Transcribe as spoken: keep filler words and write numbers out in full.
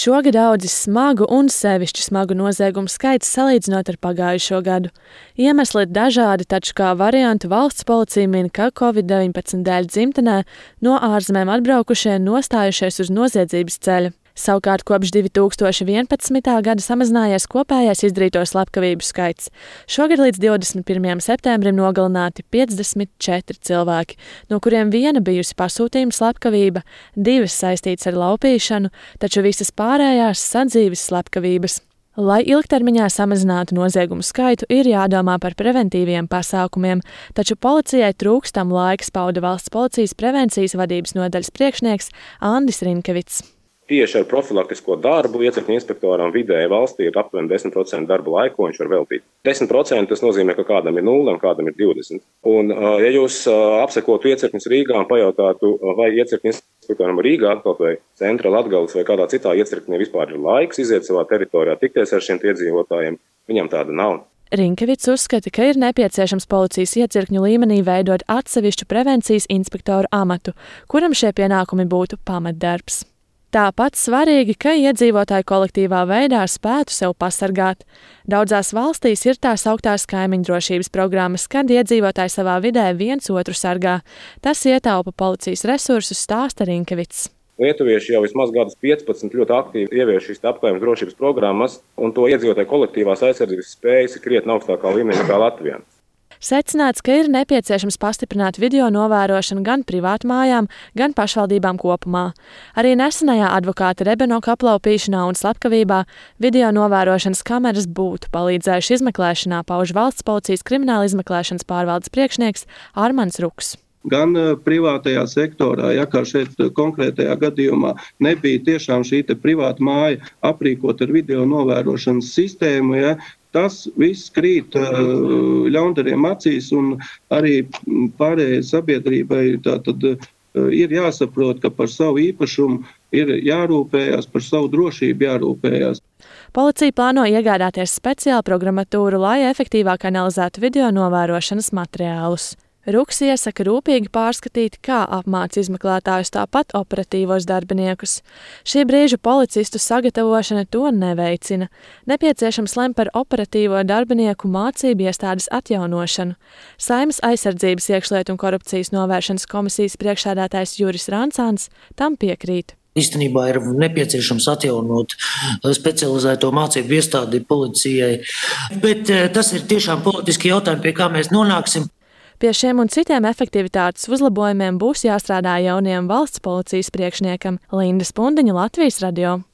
Šogad audzis smagu un sevišķi smagu noziegumu skaits salīdzinot ar pagājušo gadu. Iemesli ir dažādi, taču kā variantu valsts policija min, ka covid deviņpadsmit dēļ dzimtenē no ārzemēm atbraukušie nostājušies uz noziedzības ceļa. Savukārt kopš divi tūkstoši vienpadsmitā gada samazinājies kopējais izdarīto slepkavību skaits. Šogad līdz divdesmit pirmajam septembrim nogalināti piecdesmit četri cilvēki, no kuriem viena bijusi pasūtījuma slepkavība, divas saistītas ar laupīšanu, taču visas pārējās sadzīves slepkavības. Lai ilgtermiņā samazinātu noziegumu skaitu, ir jādomā par preventīviem pasākumiem, taču policijai trūkstam laiks, pauda valsts policijas prevencijas vadības nodaļas priekšnieks Andis Rinkevits. Tieši ar profilaktisko darbu iecirkņu inspektoram vidēji valstī ir aptuveni desmit procenti darba laika, ko viņš var veltīt. desmit procenti tas nozīmē, ka kādam ir nulle un kādam ir divdesmit. Un, ja jūs apsekotu iecirkņus Rīgā un pajautātu, vai iecirkņu inspektoram Rīgā, kaut vai centra Latgales vai kādā citā iecirkņē vispār ir laiks iziet savā teritorijā, tikties ar šiem iedzīvotājiem, viņam tāda nav. Rinkevits uzskata, ka ir nepieciešams policijas iecirkņu līmenī veidot atsevišķu prevencijas inspektoru amatu, kuram šie pienākumi būtu pamatdarbs. Tāpat svarīgi, ka iedzīvotāji kolektīvā veidā spētu sev pasargāt. Daudzās valstīs ir tās augtās kaimiņu drošības programmas, kad iedzīvotāji savā vidē viens otru sargā. Tas ietaupa policijas resursus, stāsta Rinkevits. Lietuvieši jau vismaz gadus piecpadsmit ļoti aktīvi ievieš šīs apkārtnes drošības programmas, un to iedzīvotāju kolektīvās aizsardzības spējas ir krietni augstākā līmenī nekā Latvijā. Secināts, ka ir nepieciešams pastiprināt video novērošanu gan privātmājām, gan pašvaldībām kopumā. Arī nesenajā advokāta Rebenoka aplaupīšanā un slepkavībā video novērošanas kameras būtu palīdzējuši izmeklēšanā, pauž valsts policijas krimināla izmeklēšanas pārvaldes priekšnieks Armands Ruks. Gan privātajā sektorā, ja kā šeit konkrētajā gadījumā nebija tiešām šī te privāta māja aprīkot ar video novērošanas sistēmu, ja, tas viss krīt ļaundariem acīs, un arī pārējai sabiedrībai tātad ir jāsaprot, ka par savu īpašumu ir jārūpējās, par savu drošību jārūpējās. Policija plāno iegādāties speciālu programmatūru, lai efektīvāk analizētu video novērošanas materiālus. Ruks iesaka rūpīgi pārskatīt, kā apmāca izmeklētājus, tāpat operatīvos darbiniekus. Šī brīža policistu sagatavošana to neveicina. Nepieciešams lem par operatīvo darbinieku mācību iestādes atjaunošanu. Saeimas aizsardzības iekšlietu un korupcijas novēršanas komisijas priekšsēdētājs Juris Rancāns tam piekrīt. Īstenībā ir nepieciešams atjaunot specializēto mācību iestādi policijai, bet tas ir tiešām politiski jautājumi, pie kā mēs nonāksim. Pie šiem un citiem efektivitātes uzlabojumiem būs jāstrādā jaunajam valsts policijas priekšniekam. Linda Spundiņa, Latvijas radio.